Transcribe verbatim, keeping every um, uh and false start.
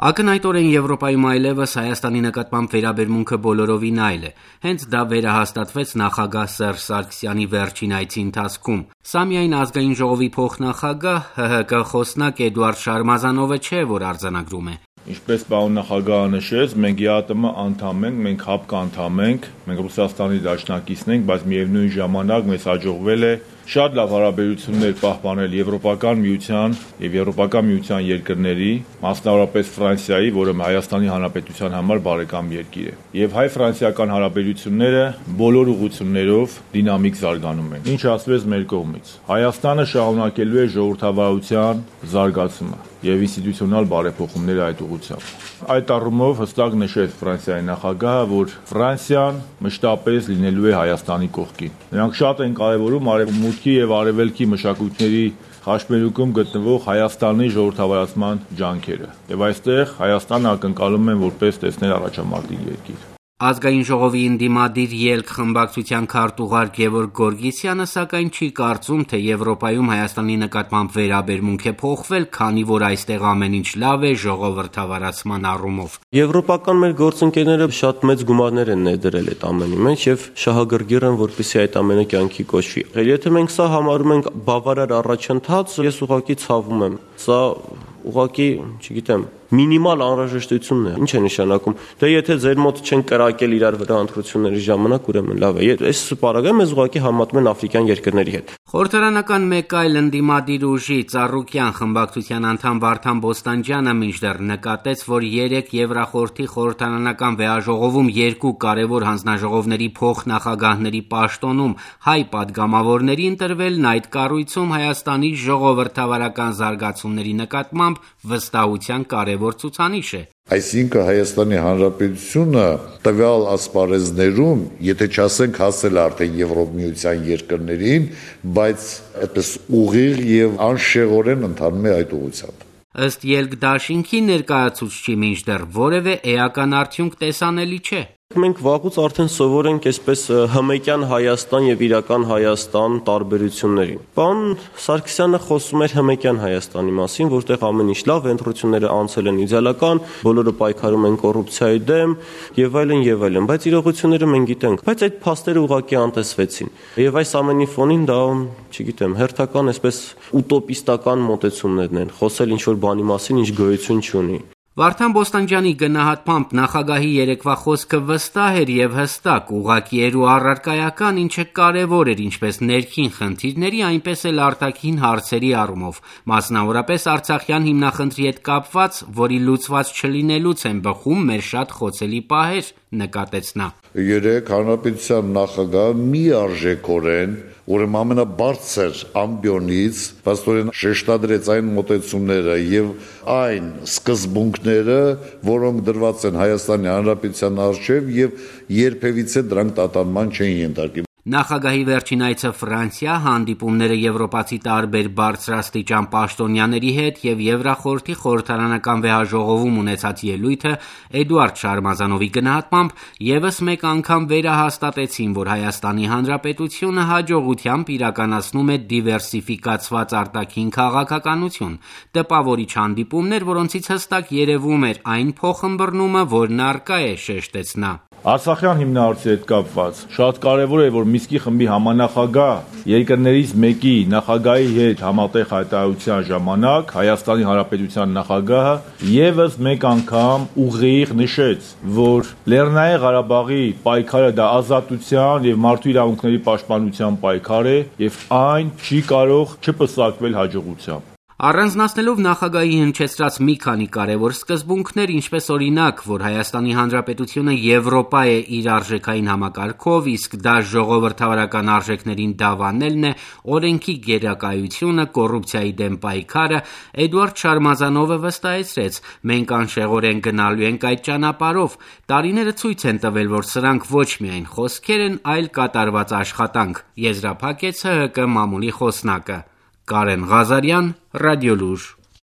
Ակնհայտորեն Եվրոպայում այլևս Հայաստանի նկատմամբ վերաբերմունքը բոլորովին այլ է։ Հենց դա վերահաստատվեց նախագահ Սերժ Սարգսյանի վերջին այցի ընթացքում։ Սա միայն ազգային ժողովի փոխնախագահ ՀՀԿ խոսնակ Էդուարդ Շարմազանովը չէ, որ արձանագրում է։ Ինչպես պարոն նախագահը նշեց, մենք ԵԱՏՄ անդամ ենք, մենք ՀԱՊԿ անդամ ենք, մենք Ռուսաստանի դաշնակիցն ենք, բայց միևնույն ժամանակ մեզ հաջողվել է շատ լավ հարաբերություններ պահպանել Եվրոպական միության եւ Եվրոպական միության երկրների, մասնավորապես Ֆրանսիայի, որը Հայաստանի Հանրապետության համար բարեկամ երկիր է։ Եվ հայ-ֆրանսիական հարաբերությունները բոլոր ուղղություններով դինամիկ զարգանում են։ Ինչ ասվեց մեր կողմից։ Հայաստանը շարունակելու է ժողովրդավարության զարգացումը եւ ինստիտուցիոնալ բարեփոխումները այդ ուղղությամբ։ Այդ առումով հստակ նշեց Ֆրանսիայի նախագահը, որ Ֆրանսիան մշտապես լինելու է Հայաստանի կողքին։ Նրանք շատ են կարևորում արևմուտքի եւ արևելքի մշակույթների խաչմերուկում գտնվող Հայաստանի ժողովրդավարացման ջանքերը։ Եվ այստեղ Հայաստանը ակնկալում են որպես տեսնել առաջամարտիկ երկիր։ Ազգային ժողովի ընդդիմադիր ելք խմբակցության քարտուղար Գևորգ Գորգիսյանը սակայն չի կարծում, թե Եվրոպայում Հայաստանի նկատմամբ վերաբերմունք է փոխվել, քանի որ այստեղ ամեն ինչ լավ է ժողովրդավարացման առումով։ Եվրոպական մեր գործընկերները շատ մեծ գումարներ են ներդրել այդ ամենի մեջ եւ շահագրգիռ են, որպեսզի այդ ամենը կյանքի կոչվի։ Եթե մենք սա համարում ենք բավարար առաջընթաց, ես ուղղակի ցավում եմ։ Սա ուղղակի, չգիտեմ, մինիմալ անհրաժեշտությունն է։ Ինչ է նշանակում։ Դե եթե ձեր մոտ չեն կրակել իրար վրա ընտրությունների ժամանակ, ուրեմն լավ է։ Այս պարագայում ես ուղղակի համատում են աֆրիկյան երկրների հետ։ Խորհրդարանական մեկ այլ ընդդիմադիր ուժի Ծառուկյան խմբակցության անդամ Վարդան Բոստանջյանը մինչդեռ նկատեց, որ երեք Եվրախորհրդի խորհրդարանական վեաժողովում երկու կարևոր հանձնաժողովների փոխնախագահների պաշտոնում հայ պատգամավորների ընտրվելն այդ կառույցում Հայաստանի ժողովրդավարական զարգացումների նկատմամբ վստահության կարևոր ցուցանիշ է։ Այսինքն Հայաստանի Հանրապետությունը տվյալ ասպարեզներում, եթե չասենք հասել արդեն Եվրոմիության երկրներին, բայց այդպես ուղիղ եւ անշեղորեն ընթանում է այդ ուղղությամբ։ Ըստ ելք դաշինքի ներկայացուցչի մինչդեռ որևէ էական արդյունք տեսանելի չէ։ Մենք վաղուց արդեն սովոր ենք այսպես հմեկյան Հայաստան եւ իրական Հայաստան տարբերություններին։ Պարոն Սարգսյանը խոսում էր հմեկյան Հայաստանի մասին, որտեղ ամեն ինչ լավ է, ընտրությունները անցել են իդեալական, բոլորը պայքարում են կոռուպցիայի դեմ եւ այլն եւ այլն, բայց իրողությունները մենք գիտենք, բայց այդ փաստերը ուղղակի անտեսվեցին։ Եվ այս ամենի ֆոնին դա, չգիտեմ, հերթական այսպես ուտոպիստական մոտեցումներն են, խոսել ինչ որ բանի մասին, ինչ գոյություն չունի։ Վարդան Բոստանջյանի գնահատմամբ նախագահի երեկվա խոսքը վստահ էր եւ հստակ, ուղղակի էր ու առարկայական, ինչը կարեւոր էր ինչպես ներքին խնդիրների, այնպես էլ արտաքին հարցերի առումով, մասնավորապես Արցախյան հիմնախնդրի հետ կապված, որի լուծված չլինելուց են բխում մեր շատ խոցելի պահեր, նկատեց նա։ Երեք հանրապետության նախագահը միարժեքորեն, ուրեմն ամենաբարձր ամբիոնից փաստորեն շեշտադրեց այն մոտեցումները եւ այն սկզբունքները, որոնք դրված են Հայաստանի Հանրապետության առջև եւ երբևիցե դրանք տատանման չեն ենթարկի։ Նախագահի վերջին այցը Ֆրանսիա, հանդիպումները եվրոպացի տարբեր բարձրաստիճան պաշտոնյաների հետ եւ Եվրախորհրդի խորհրդարանական վեհաժողովում ունեցած ելույթը Էդուարդ Շարմազանովի գնահատմամբ եւս մեկ անգամ վերահաստատեցին, որ Հայաստանի Հանրապետությունը հաջողությամբ իրականացնում է դիվերսիֆիկացված արտաքին քաղաքականություն, տպավորիչ հանդիպումներ, որոնցից հստակ երևում էր այն փոխըմբռնումը, որն առկա է, շեշտեց նա։ Արցախյան հիմնահարցի հետ կապված շատ կարևոր է, որ Միսկի խմբի համանախագահ երկրներից մեկի նախագահի հետ համատեղ հայտարարության ժամանակ Հայաստանի Հանրապետության նախագահը եւս մեկ անգամ ուղիղ նշեց, որ Լեռնային Ղարաբաղի պայքարը դա ազատության եւ մարդու իրավունքների պաշտպանության պայքար է եւ այն չի կարող չպսակվել հաջողությամբ։ Առանձնացնելով նախագահի հնչեցրած մի քանի կարևոր սկզբունքներ, ինչպես օրինակ, որ Հայաստանի Հանրապետությունը Եվրոպա է իր արժեքային համակարգով, իսկ դա ժողովրդավարական արժեքներին դավանելն է, օրենքի գերակայությունը, կոռուպցիայի դեմ պայքարը, Էդուարդ Շարմազանովը վստահեցրեց. մենք անշեղորեն գնալու ենք այդ ճանապարհով։ Տարիները ցույց են տվել, որ սրանք ոչ միայն խոսքեր են, այլ կատարված աշխատանք, եզրափակեց ՀՀԿ մամուլի խոսնակը։ Կարեն Ղազարյան, Ռադիոլուր։